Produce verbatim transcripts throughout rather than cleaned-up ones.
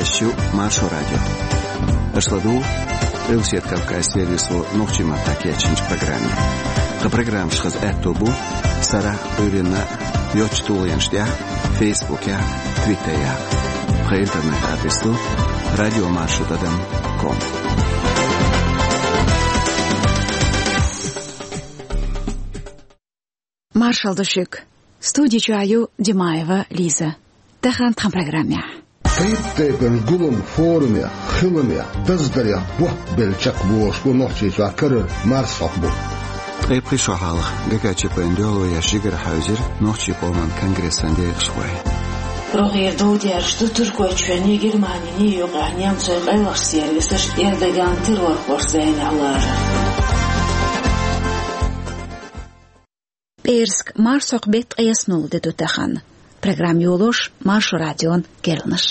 Эфирехь ю Маршо радио. Аша ладугӀу Къилбаседа Кавказан сервисо нохчийн маттахь кечйинчу программе. Тхан программаш хаза аьтто бу сарахь а, Ӏуьйранна а йоцчу тулгӀенаш тӀехь а, Фейсбукехь а, Твиттерехь а. Тхан интернет-адрес ду радио маршо тӀадам ком. Маршалла ду шуьга. Студи чохь ю Димаева Лиза. Тахана тхан программехь. Тайп-тайпана гулам, форумех, хиламех, даздарех бот белла чекхбохуш бу Нохчийчохь карара марсхьокху бутт. Ткъе пхи шо хьалха ГКЧП-н дуьхьало еш жигара хьаьвзира нохчийн къоман конгрессан декъашхой. РогӀера дов дерзаш ду Туркойчоьнний, Германийний юкъахь немцойн къайлахчу сервисаш Эрдоганан террорхошца зӀенехь ларар. ПӀераска марсхьокху беттан ткъесналгӀа де ду тахана. Программа йолош Маршо радион керланаш.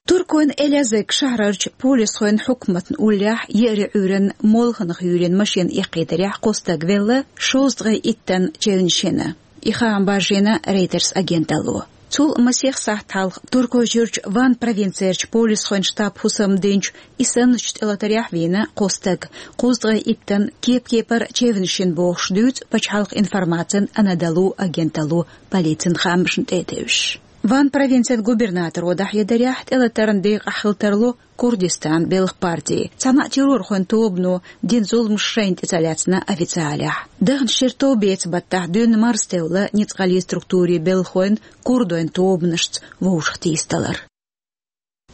Туркойн Элязыг шахьарчу полисхойн хьукматна уллехь еарин Ӏуьйранна молханах юьйлина машина эккхийтарехь кхо стаг велла, шовзткъе иттанна чевнаш йина. И хаам баржийна Рейтерс агенталло. Цул масех сахьт хьалха Туркойчуьрчу Ван провинцерчу полисхойн штаб хӀусамдинчу и санначу тӀелатарехь вийна кхо стаг, кхузткъе иттанна кеп-кепара чевнаш йина бохуш дуьйцу пачхьалкхан информацин Анадолу агенталло полицин хаамашна тӀе а тевжаш. Ван провинцин губернаторо дӀахьедарехь, тӀелатарна декъахь хила тарло Курдистан белхан парти. Цхьана а террорхойн тобано дина зуламаш шайна тӀе ца лаьцна официалехь. Даханчу шеран товбеца баттахь дуьйна марза тевлла ницкъаллин структурийн белхалойн курдойн тобанашца вовшахтийсадалар.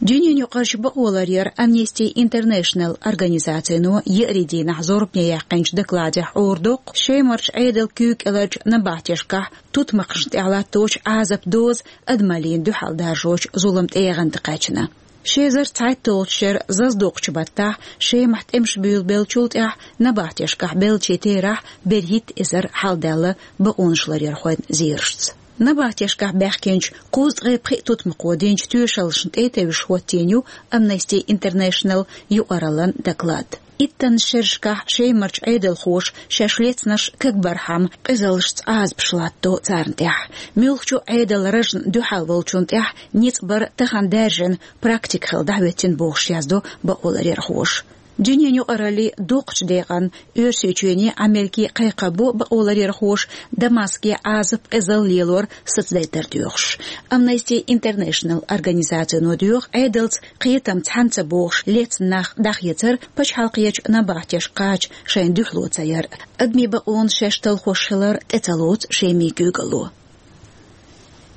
Дуьненаюкъарчу бакъоларъяран Amnesty International организацино еарин дийнахь зорбане яьккхинчу докладехь Ӏорадоккху, Шемарчу Ӏедалан куьйга кӀеларчу набахтешкахь тутмакхашна тӀехь латточу Ӏазапан доза адамаллина дуьхьал даржочу зуламан тӀегӀан тӀе кхаьчна. Ши эзар цхьайтталгӀачу шеран зазадоккхучу баттахь Шемахь тӀемаш буьйлабеллачул тӀаьхьа набахтешкахь беллачийн терахь берхӀитта эзар хьалдаьлла бакъонаш ларъярхойн зерашца. Набахтешкахь баьхкинчу кхузткъе пхи тутмакхо динчу тоьшаллашна тӀе а тевжаш хӀоттийна ю Amnesty International юкъараллин доклад. Иттаннаш шерашкахь Шемарчу Ӏедалхоша шаьш лецнарш кагбархьама къизаллашца Ӏазапаш латто царна тӀехь. Муьлххачу а Ӏедалан ражна дуьхьал волчунна тӀехь ницкъ бар тахана даьржина практика хилла дӀахӀоьттина бохуш яздо бакъоларъярхоша. Дуьненаюкъараллин дукхачу декъана Оьрсийчоьнний, Америкий кхайкхам бо бакъоларъярхоша Дамаске Ӏазап, къизалла лелор сацадайтар доьхуш. Amnesty International организацино доьху, Ӏедалца кхетам цхьаьна ца богӀуш лецна нах дӀахецар пачхьалкхерчу набахтешка кхача шайна дуьхьало ца яр. Адамийн бакъонаш шаьш талхош хилар тӀе ца лоцу Шеман куьйгалло.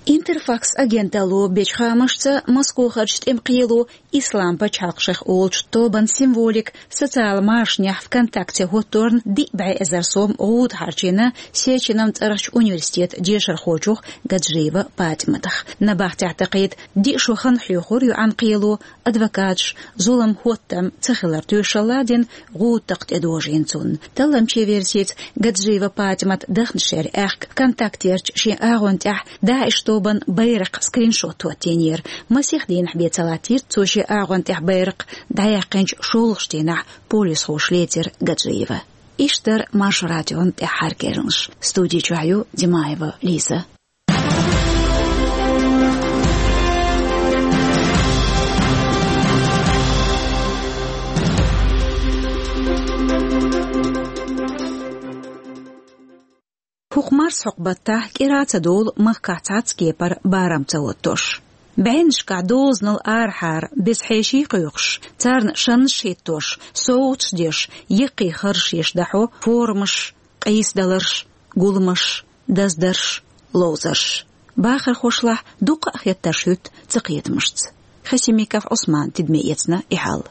Интерфакс агенталло бечу хаамашца, Москохарчу тӀеман кхело Ислам пачхьалкх шех олучу тобан символика социалан машанехь ВКонтакте хӀотторна диъ бӀе эзар сом гӀуда хьарчийна Сеченан цӀарахчу университетан дешархочух Гаджиева ПатӀиматах. Набахтехь дакхийта диъ шо хан хьоьхура йоӀан кхело, адвокаташ зулам, хӀоттам ца хилар тоьшалла дина, гӀуда такха тӀедожийна цунна. Талламчийн версица, Гаджиева ПатӀимат даханчу шеран аьхка ВКонтактерчу шен агӀон тӀехь ДАИШ тобан байракхан скриншот хӀоттийнера. Масех дийнахь бен ца латтийра цо шен агӀон тӀехь байракх, дӀаяьккхинчу шолгӀачу дийнахь полисхоша лецира Гаджиева. Иштта дара Маршо радион тӀаьххьара керланаш. Студи чохь ю Димаева Лиза. ХӀокху марсхьокху баттахь кӀира а ца долу махкахь цхьацца кепара барам ца хӀоттош. БӀеннашкахь дозанал арахьара беза хьеший кхойкхуш, царна шаннаш а хӀиттош, совгӀаташ а деш, яккхий харжаш еш дӀахьо форумаш, къийсадаларш, гуламаш, даздарш, ловзарш. Бахархошлахь дуккха а хеттарш хӀуьтту цакхетамашца. Хасимиков Ӏусмана тидаме эцна и хьал.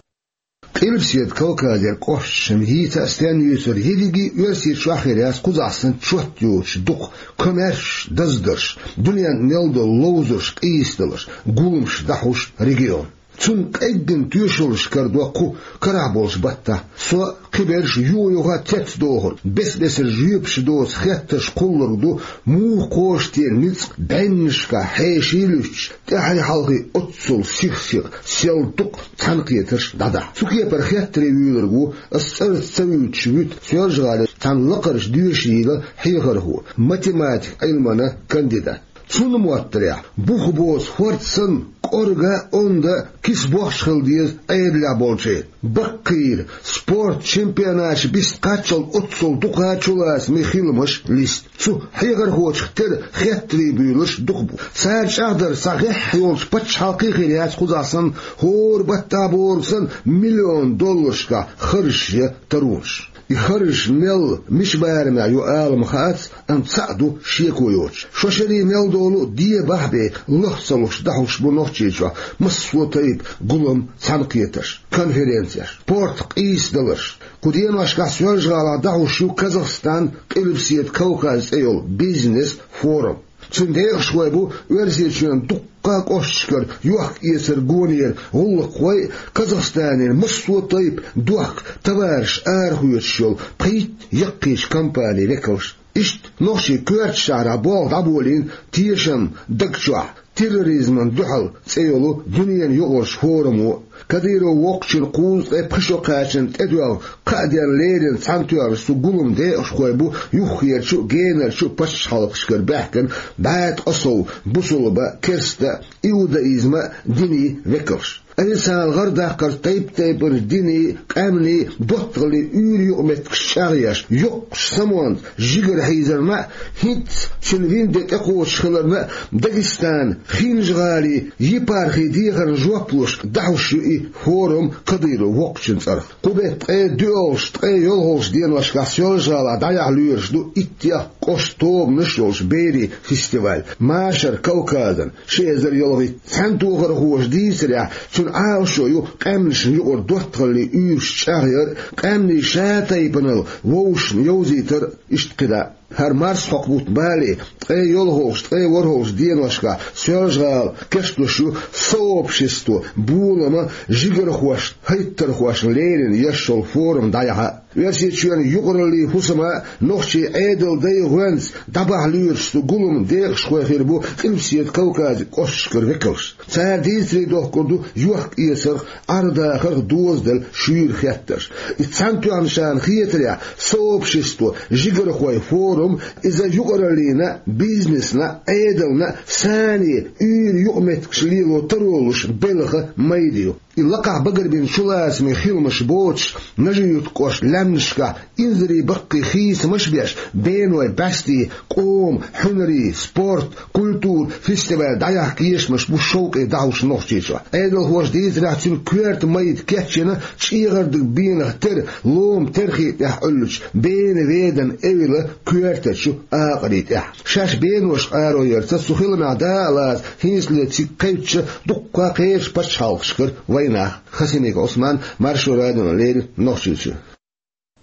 Къилбаседа Кавказера кӀошташна йийца а стенна юьйцура ерриге а Оьрсийчохь хир яц кхузахь санна чот йоцуш дукха комаьршаш, даздарш, дуьненна мел долу ловзарш, къийсадаларш, гуламаш дӀахьош регион. Цунна къеггина тоьшаллаш карадо кху карахь болчу баттахь. Со кхиберш юха-юха теттадохург, бес-бесара жоьпаш доцу хеттарш кхуллург ду, муха кхочу те ницкъ, бӀеннашкахь хьеший луьттуш, тӀаьхьий-хьалхий оццул сих-сиха, сел дукха цхьаьнакхетарш дӀадахьа. Цу кепара хеттаре вуьйлург ву, ас цӀарца ца вуьйцуш вуьту, Соьлжа-ГӀалин цхьана лакхарчу доьшийла хьехархо, математикан Ӏилманан кандидат. Цунна моттарехь, бух боцу хӀорд санна, кӀорга а, онда а киса бохча хила деза Ӏедалехь болчеран. Баккхийра, спорт чемпионаташ бист кхаччалц оццул дукха чулацамийн хиламаш листа. Цу хьехархочух тера хеттарий буьйлуш дукха бу. Цара чӀагӀдар цхьа гӀеххьа йолчу пачхьалкхе а хир яц кхузахь санна, хӀора баттахь бохург санна, миллион долларшкахь харжаш ян таронаш. И харжаш мел, мича барамехь ю ала ма хаьа, амма цхьаъ ду шеко йоцуш. Шо шаре мел долу дебахь а бен, лах ца луш дӀахьуш бу Нохчийчохь массо а тайпа гулам, цхьаьнакхетарш, конференцеш, спорт къийсадаларш. Кху деношкахь Соьлжа-ГӀалахь дӀахьуш ю Казахстан, Къилбаседа Кавказ цӀе йолу бизнес-форум. Цуьнан декъашхой бу Оьрсийчоьнан дуккха а кӀошташкара йохк-эцар гонера гӀуллакххой а, Казахстанера массо а тайпа дохка, товараш арахоьцуш йолу пхийтта яккхийчу компанийн векалш. Иштта нохчийн коьртачу шахьарахь болх дӀаболийна «Тешам даг чохь: терроризмана дуьхьал» цӀе йолу дуьненан юкъарчу форумо. Кадыров воккхачун кхузткъе пхи шо кхачанна тӀедоьгӀна, кхаа денна леррина цхьаьнатоьхначу цу гуламан декъашхой бу юххерчу а, генарчу а пачхьалкхашкара баьхкина бӀе ткъа сов бусулба а, керста а, иудаизма а динийн векалш. Айса гӀар даккхар тайп-тайпанчу динийн, къаьмнийн, доттагӀаллин уьйр-юкъаметтигаш чӀагӀъеш, йоккхачу самонца жигара хьийзарна а, хӀинцца цуьнан вин де тӀекхочуш хиларна а, Дагестанан, ХӀинжа-ГӀалин епархин дехарна жоп луш дӀахьуш ю и форум Кадыров воккхачун цӀарах. Кху беттан ткъе доьалгӀачу, ткъе йолхалгӀачу деношкахь Соьлжа-ГӀалахь дӀаяхьа лоьруш ду иттех кӀоштан тобанаш а йолчу берийн фестиваль «Машар Кавказан ши эзар ялхитта». Цхьаьнатохархоша дийцарехь, цуьнан Ӏалашо ю къаьмнашна юкъара доттагӀаллин уьйраш чӀагӀъяр а, къаьмнийн шатайпанал вовшашна йовзийтар а, иштта кхидӀа а. ХӀара марсхьокху бутт бале, ткъе йолхалгӀачу, ткъе ворхӀалгӀачу деношкахь Соьлжа-ГӀала кечлуш ю сообщество, болама, жигархошна, хӀайттархошна леррина еш йолу форум дӀаяхьа а. Оьрсийчоьнан юкъараллин хӀусама а, нохчийн Ӏедалан дайн гӀоьнца дӀабахьа лоьруш цу гуламан декъашхой хир бу Къилбаседа Кавказан кӀошташкара векалш. Цара дийцаре дохкур ду йохк-эцарх, Ӏар-дахарх дозаделла шуьйра хеттарш. И цхьаьнатоьхначарна хетарехь, сообщество, жигархойн форум, иза юкъараллина, бизнесна, Ӏедална, санна, уьйр-юкъаметтигаш лело таро луш белхан майда ю. И лакхахь багарбина чулацамийн хиламаш боцуш, Нажи-Юьртан кӀоштан лаьмнашкахь инзаре баккхий хийцамаш а беш, бенойн бӀаьстийн, къоман, хьуьнарийн, спорт, культура фестиваль дӀаяхьа кешамаш бу шовкъе дӀахьуш Нохчийчохь. Ӏедалхоша дийцарехь, цуьнан коьрта майда кечйина чӀегӀардиг бенах тера, ломан терхи тӀехь Ӏуьллучу Бена-Веданан эвла коьртачу акъарийн тӀехь. Шаьш бенош къаро ярца, цу хиламехь дакъа лаца, хӀинцале цига кхаьчча, дуккха а кхечу пачхьалкхашкара вайнах. Хасимиков Ӏусман, Маршо радиона леррина, Нохчийчуьра.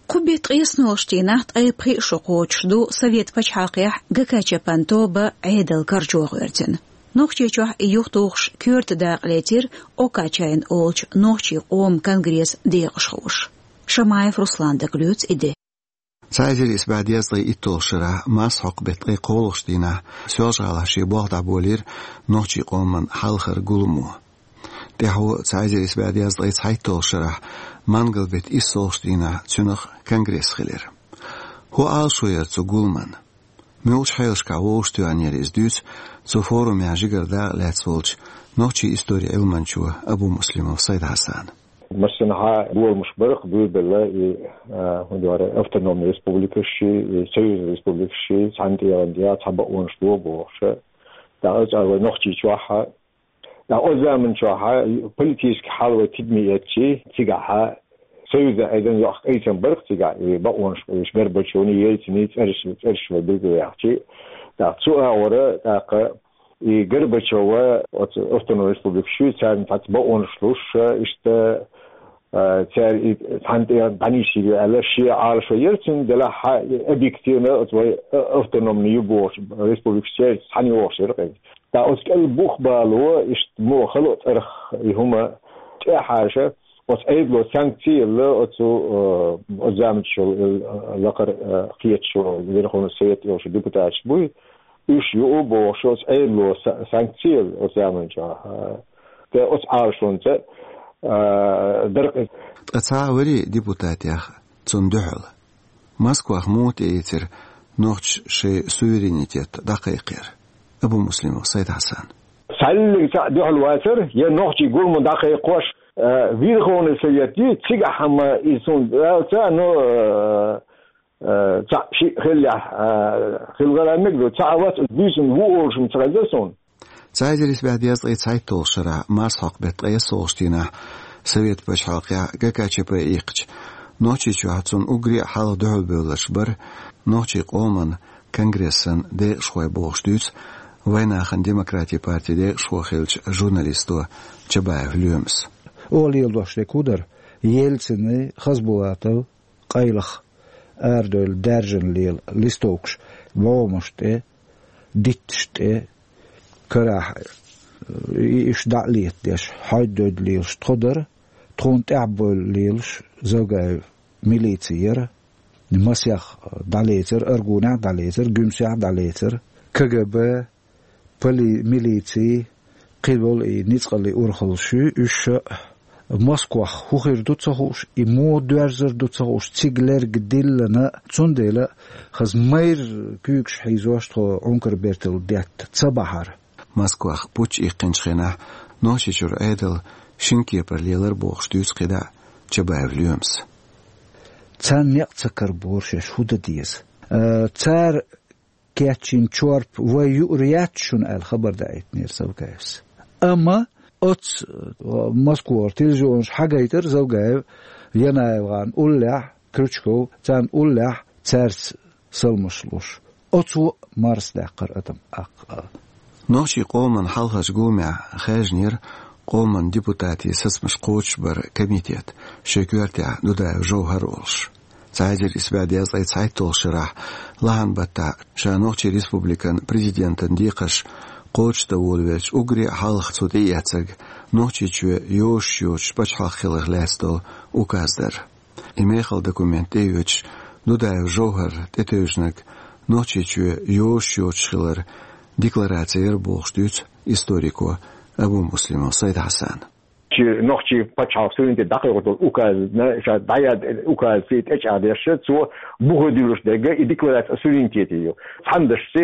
Кху беттан ткъеснолгӀачу дийнахь ткъе пхи шо кхочуш ду Совет пачхьалкхехь ГКЧП-н тоба Ӏедал карчо гӀоьртина. Нохчийчохь и юхатухуш коьрта дакъа лецира Окачайн олучу нохчийн къоман конгрессан декъашхоша. Шамаев Руслана дага лоьцу и де. Цхьа эзар исс бӀе дезткъе итталгӀачу шарахь марсхьокху беттан ткъе кхоалгӀачу дийнахь Соьлжа-ГӀалахь шен болх дӀаболийра нохчийн къоман хьалхара гуламо. ТӀаьхьо цхьа эзар исс бӀе дезткъе цхьайтталгӀачу шарахь мангал беттан иссалгӀачу дийнахь цуьнах конгресс хилира. ХӀун Ӏалашо яра цу гуламан? Муьлхачу хьелашкахь вовшахтоьхнера иза, дуьйцу цу форумехь жигара дакъа лаьцна волчу нохчийн историн Ӏилманчо Абумуслимов Сайд-Хьасана. Массанхьа доламаш бара-кх буьйр белла и, а, хӀун ду хӀара, автономный республикашший, и союзный республикашший цхьана тӀегӀан тӀехь цхьа бакъонаш ло бохуш. ТӀаккха оцу вай Нохчийчохь а, ТӀаккха оцу заманчохь политически хьал вай тидаме эцчи, цигахь союзан Ӏедална йоккха къийсам бара-кх цигахь, и бакъонаш, уьш Горбачёвн, Ельцин цӀераш, цӀераш вай билгалъяьхчи. ТӀаккха цу агӀора тӀаккха и Горбачёва оцу автономный республикаш, царна цхьацца бакъонаш луш, иштта, а, цара и цхьана тӀе дӀанисйийр ю аьлла, шен Ӏалашо яра цуьнан, делахь а объективно оцу вай автономный ю бохучу республикаш церан цхьаьна йогӀуш яра-кх иза. ТӀаккха оцу кӀел бух бало, иштта муха хало а цӀарах и хӀума тӀехьаша, оцу Ӏедало санкци елла, оцу, э, оцу заманчохь йолу, э, лакхара, э, кхеташо, Верховный Совет йолчу депутаташ буй, уьш ю бохуш, оцу Ӏедало са-, санкци елла оцу заманчохь, э, тӀе оцу Ӏалашонца, э, дара-кх иза. Ткъа цхьа а вари депутатех цунна дуьхьал? Москвах муха тӀеийцира нохчаша шайн суверенитет дӀакхайкхар? Абумуслимов Сайд-Хьасан. Цхьаллиг цхьаъ дуьхьал вацар, я нохчий гулма дӀакхайкхош, э, Верховный Совет ю, цигахь хӀама и цунна далца, ну, э, э, цхьаъ шиъ хиллехь, э, хилгӀара мегар ду, цхьаъ вац, уьш буьйсанна ву олуш ца хезара суна. Цхьа эзар исс бӀе дезткъе цхьайтталгӀачу шарахь марсхьокху беттан ткъе иссалгӀачу дийнахь Совет пачхьалкхехь ГКЧП иккхича, Нохчийчохь цунна уггаре а хьалха дуьхьалбевлларш бара нохчийн къоман конгрессан декъашхой бохуш дуьйцу Вайнахана Демократин партин декъашхо хиллачу журналисто Чабаев Лоьмас. Оха леладеш дерг хӀун дара? Ельцины, Хасбулатов къайлаха арадевлла даьржина лела листовкаш бӀомаш тӀе, дитташ тӀе, карахь, и, уьш дӀа а летадеш, хьойда-дойда лелаш тхо дара, тхуна тӀаьхьа бевлла лелаш Завгаев милици яра, масех дӀалецара, Аргунехь дӀалецара, Гуьмсехь дӀалецара, КГБ, поли-, милици, кхин болу и ницкъаллин урхаллаш ю, уьш а Москвахь хӀун хир ду ца хууш, и муха доьрзур ду ца хууш, цига лерг диллина, цундела хаза майра куьйгаш хьийзош тхо Ӏункар-бертал детта ца бахьара. Москвахь путч иккхинчу хенахь Нохчийчуьра Ӏедал шина кепара лелара бохуш дуьйцу кхидӀа Чабаев Лоьмас. Царна некъ ца карабора шаьш хӀун дан деза. Э, цара кечйина чорпа вай юур яц шуна аьлла хабар даийтинера Завгаевс. Амма оцу, э, Москвара телевизионаш хьагайтара Завгаев, Янаев гӀарна уллехь, Крючков, царна уллехь цаьрца салмаш луш. Оцо марсадаьккхира адам аккха. Нохчийн къоман хьалхарчу гуламехь хаьржинера къоман депутатийн сацамаш кхочушбаран комитет, шен коьртехь Дудаев Жовхар олуш. Цхьа эзар исс бӀе дезткъе цхьайтталгӀачу шарахь лахьан баттахь ша Нохчийн Республикан президентан декхарш кхочушдан волавелча уггаре а хьалха цо тӀеэцнарг Нохчийчоь йозуш йоцуш пачхьалкх хиларх лаьцна долу указ дара. И мехала документ тӀеоьцуш, Дудаев Жовхар тӀетевжинарг Нохчийчоь йозуш йоцуш хиларан деклараци яра бохуш дуьйцу историко Абумуслимов Сайд-Хьасана. Чи нохчийн пачхьалкх суверенитет дӀакхайкхорна долу указна, ша дӀаяьхьна указца тӀечӀагӀдеш, цо бухе дуьллуш дерг и декларация о суверенитете ю. Цхьана дашца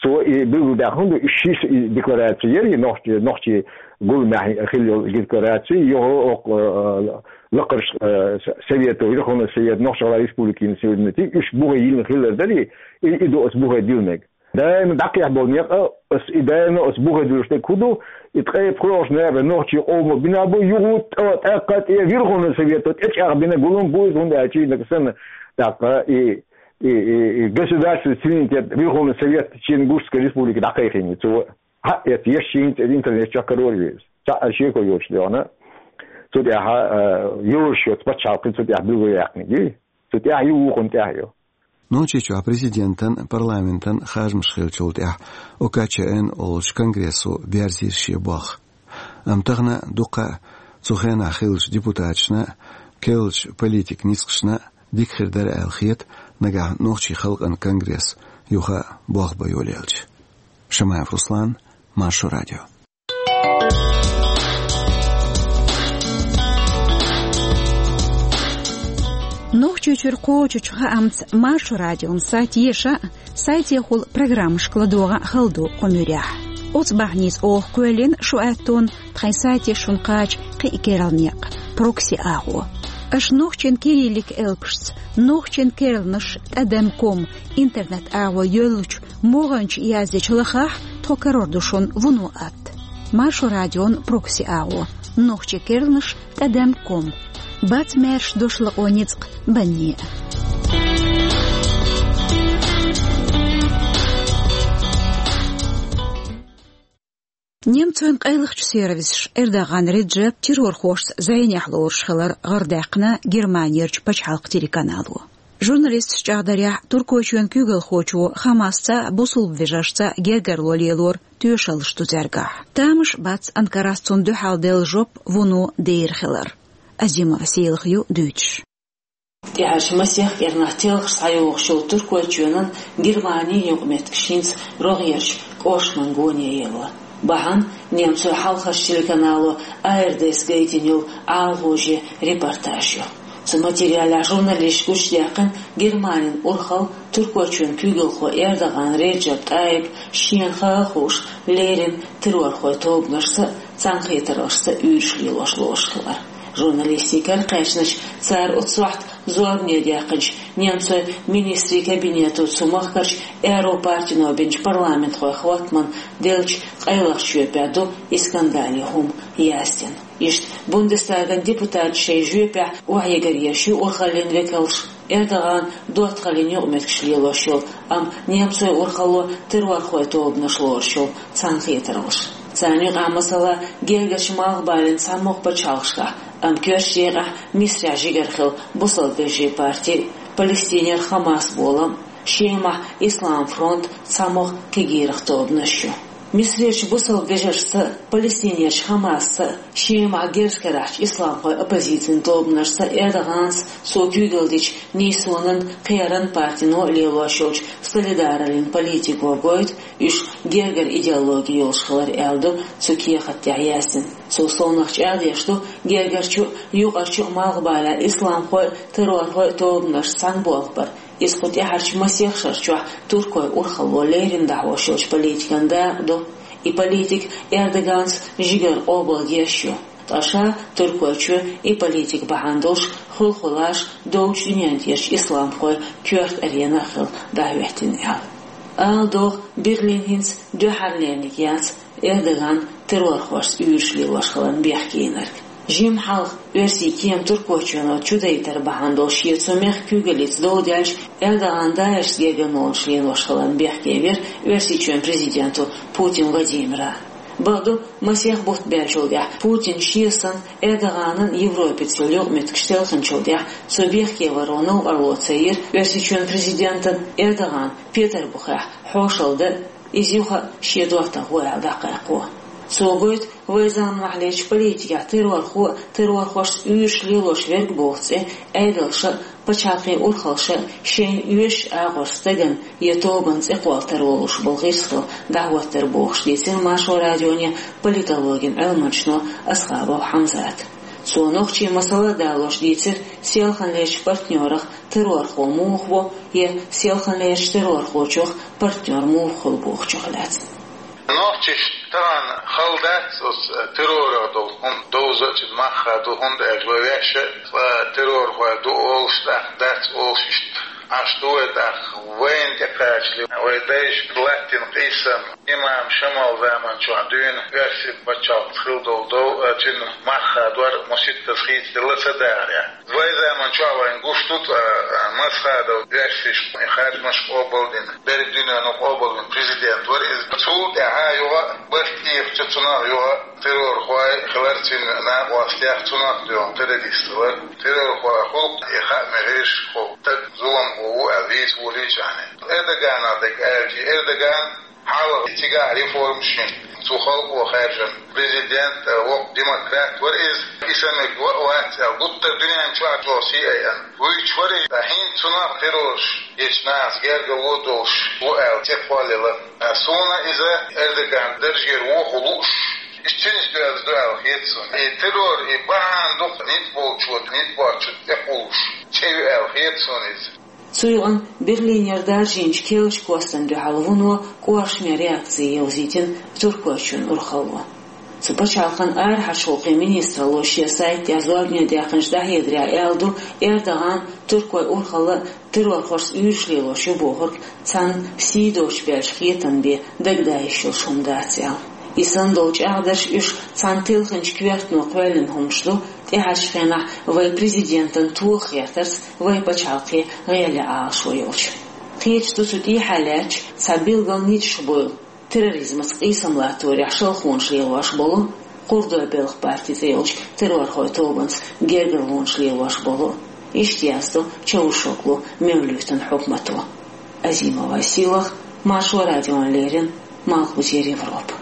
цо и билгалдаьккхина ду, и ши и декларация яра, и нохчи-, нохчийн гуламехь хилла йолу декларация, йо, окху, э, лакхарчу, э, с-, совето, Верховный Совет, Нохч-ГӀалгӀайн Республикин суверенитет, уьш бухе йиллина хилар дара, и, и ду оцу бухе диллинарг. Даима дӀакхехьа болу некъ, ас и даима ас бухе дуьллуш дерг хӀун ду, и ткъе пхоьалгӀачу ноябрехь нохчийн къомо бина бу, юха тӀо-, тӀаккха тӀе Верховный Совето тӀечӀагӀбина гулам бу иза, хӀунда аьлча и нагахь санна тӀаккха и, и, и, и государственный суверенитет Верховный Совет Ченгушской Республики дӀакхайкхийна цо. Хьа, эцу еш шийна цӀе интернет чохь карор веза. Цхьа а шеко йоцуш дегӀана. Цу тӀехь, а, йозуш йоцу пачхьалкхе цу тӀехь билгалъяьккхинарг ю. Цу тӀехь ю, вукхунна тӀехь ю. Нохчийчохь президентан, парламентан харжамаш хиллачул тӀаьхьа ОКЧН олучу конгрессо берзийра шен болх. Амма тахана дуккха а цу хенахь хиллачу депутаташна, керлачу политикан ницкъашна дика хир дара аьлла хета нагахь нохчийн халкъан конгресс юха болх бан йолаелча. Шамаев Руслан, Маршо радио. Нохчийчуьра кхочучу хаамца Маршо радион сайт еша, сайтехула программашка ладогӀа хала ду кху муьрехь. Оцу бахьаница оха кхоьллина шу аьттон тхайн сайте шуна кхача кхин а керла некъ, прокси агӀо. Аша нохчийн кириллик элпашца, нохчийн керланаш тӀадам ком интернет агӀо йоьллучу могӀанчу яздечу лахахь тхо карор ду шуна вуно атта. Маршо радион прокси агӀо, нохчийн керланаш тӀадам ком. Бац маьрша дош лакъо ницкъ банне а. Немцойн къайлахчу сервисаша Эрдоган Реджеп террорхошца зӀенехь лоруш хилар гӀардаьккхина Германерчу пачхьалкх телеканало. Журналисташ чӀагӀдарехь, Туркойчоьнан куьйгалхочо Хамасца а, бусулба вежаршца а гергарло лелор тоьшаллаш ду цаьргахь. Тамаш бац Анкарас цунна дуьхьал делла жоп вуно дер хилар. Азимова Сийлаха ю дуьйцуш. ТӀаьхьарчу масех кӀирнахь телхаш схьайогӀуш йолу Туркойчоьнан Германин юкъаметтигаш хӀинца рогӀерчу кӀоршаман гоне елла. Бахьана немцойн хьалхарчу телеканало АРД-с гайтина йолу ӀаламгӀожийн репортаж ю. Цу материалехь журналисташка гучудаьккхина Германин урхалла, Туркойчоьнан куьйгалхо Эрдоган Реджеп ТӀайип шена хаа а хууш леррина террорхойн тобанашца а, цхьаьнакхетараллашца а уьйраш лелош лоруш хилар. Журналистийн кара кхаьчначу, цара оцу сохьта зорбане даьккхинчу немцойн министрийн кабинето цу махкарчу аьрру партино бинчу парламентхойн хӀоттамна деллачу къайлахчу жоьпехь ду и скандале хӀума яздина. Иштта Бундестаган депутаташа шайн жоьпехь охьаэгаръеш ю урхаллин векалша Эрдоган доттагӀаллин юкъаметтигаш лелош йолу, амма немцойн урхалло террорхойн тобанаш лоруш йолу цхьаьнакхетараллаш. Царна юкъахь, масала, гергарчу Малхбален цхьамогӀа пачхьалкхашкахь, амма коьртачу декъехь Мисрехь жигара хилла бусалба вежарийн парти, Палестинера Хамас болам, Шемахь Ислам фронт, цхьамогӀа кегийрхой тобанаш ю. Мисрерчу бусалба вежаршца а, Палестинерчу Хамасца а, Шемахь герз карахь Исламхойн оппозицин тобанашца а Эрдоганца, цо куьйгалла дечу Нийсонан, Кхеран партино а лелош йолчу Солидараллин политико гойту уьш гергара идеологи йолуш хилар, аьлла ду цу кехат тӀехь яздина. Цо совнах чӀагӀдеш ду гергарчу а, юкъарчу а Малхбалехь исламхойн а, террорхойн а тобанаш цхьаьна болх бар. Иза кху тӀаьхьарчу масех шарчохь туркойн урхалло леррина дӀахьош йолчу политикан дакъа ду. И политика Эрдоганца жигара къобалъеш ю. Ткъа ша Туркойчоь и политика бахьана долуш хуьлда-хуьлда долчу дуьнен тӀерачу исламхойн коьрта аренах хилла дӀахӀоьттина аьлла. Ала догӀу, Берлин хӀинца дуьххьарлерниг яц Эрдоган террорхошца уьйраш лелош хиларна бехке йинарг. Жимма хьалха оьрсийн кема Туркойчоьно чудайтар бахьана долуш шен цу мехкан куьйгаллица дов даьлча, Эрдоган ДАИШ-ца гергарлонаш лелош хиларна бехке вира Оьрсийчоьнан президента Путин Владимира. Бакъду, масех бутт баьллачул тӀаьхьа Путин шен санна Эрдоганан Европаца йолу юкъаметтигаш телхинчул тӀаьхьа цо бехке варо новкъарло ца йира Оьрсийчоьнан президентана Эрдоган Петарбухехь хьошалла дан, иза юха а шен доттагӀа гӀо аьлла дӀакхайкхо. Цо гойту вайн заманахьлерчу политикехь террорхо а, террорхошца уьйраш лелош верг боху цӀе Ӏедалша а, пачхьалкхийн урхалша а шайна оьшучу агӀор стагана я тобанна цӀе кхоллатар волуш болу гӀирс хилла дӀахӀоттар бохуш, дийцира Маршо радионе политологин Ӏилманчо Асхабов Хьамзата. Цо нохчийн масала а далош дийцира, селханлерчу партнёрах террорхо муха ву, я селханлерчу террорхочух партнёр муха хуьлу бохучух лаьцна. Нохчашна тахана хала дац оцу террорах долу хӀума довза а, цуьнан мах хадо, хӀунда аьлча вай ваьшша а цкъа террорхой ду олуш, тӀаккха дац олуш, иштта Ӏаш ду вай, тӀаккха вайна тӀе кхачале, вай дайша латтийна къийсам, имам Шамал заманчохь дуьйна оьрсийн пачхьалкхаца хилла долу дов а, цуьнан мах хадор а масийттаза хийцаделла ца дахарехь. Вайн заманчохь вайна гуш ду, цкъа Масхадов оьрсашна харжамаш къобалдина, берриг дуьнено къобалдина президент вара иза. Цул тӀаьхьа юха а барт тӀехача цунах юха а террорхой хилар, цуьнан накъостех, цунах доьгӀна террорист хилар. Террорхой хуьлу и хаа мегар ю, кху стаг зуламхо ву аьлла вийца волийча а. Эрдоганах дерг аьлча, Эрдоган хьалха цигахь реформаш йина, цу халкъо хаьржина президент, воккха демократ вара иза. И сан мега вац аьлла, гуттар дуьнен чохь чӀогӀа сий айъина вуьйцуш вара иза. ХӀинца цунах террораш, ечу нахаца гергарло долуш ву аьлла, цӀе кхоллаелла. Суна иза Эрдоган даржера вохо лууш, иза цуьнца доьзна ду аьлла хета суна. И террор, и бахьана ду-кх ницкъ болчо ницкъ боцчунна тӀекхуллуш, цӀе ю аьлла хета суна иза. Цу юкъана Берлинера даржийначу керлачу костана дуьхьал вуно кӀоршаме реакци евзийтина Туркойчоьнан урхалло. Цу пачхьалкхан арахьарчу гӀуллакхийн министралло шен сайта тӀехь зорбане даьккхинчу дӀахьедарехь аьлла ду, Эрдоган туркойн урхалла а террорхошца уьйраш лелош ю бохург цхьана сий доцуш баьлча хетам бен дагадайъеш йолуш хӀума дац аьлла. И санна долу чӀагӀдарш уьш цхьана телхинчу коьртано кхоьллина хӀумаш ду, тӀаьхьарчу хенахь вайн президентан тоха гӀертарца вайн пачхьалкхе гӀеле Ӏалашо йолчу. Кхеташ ду цу тӀехьа лаьтташ цхьа билггал ницкъаш буйла терроризмаца къийсам латторехь шалхонаш лелош болу, Курдой белхан парти цӀе йолчу террорхойн тобанца гергарлонаш лелош болу, иштта яздо Чавушоглу Мевлютан хьукмато. Азимова Сийлаха, Маршо радиона леррина, Малхбузера Европа.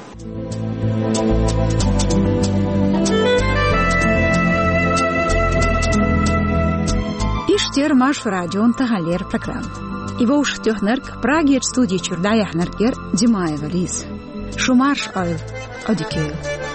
Иштта яра Маршо радион таханлера программа. И вовшахтоьхнарг, Прагерчу студи чуьра дӀаяьхьнарг яра Димаева Лиза. Шу марша Ӏойла, Ӏодика йойла.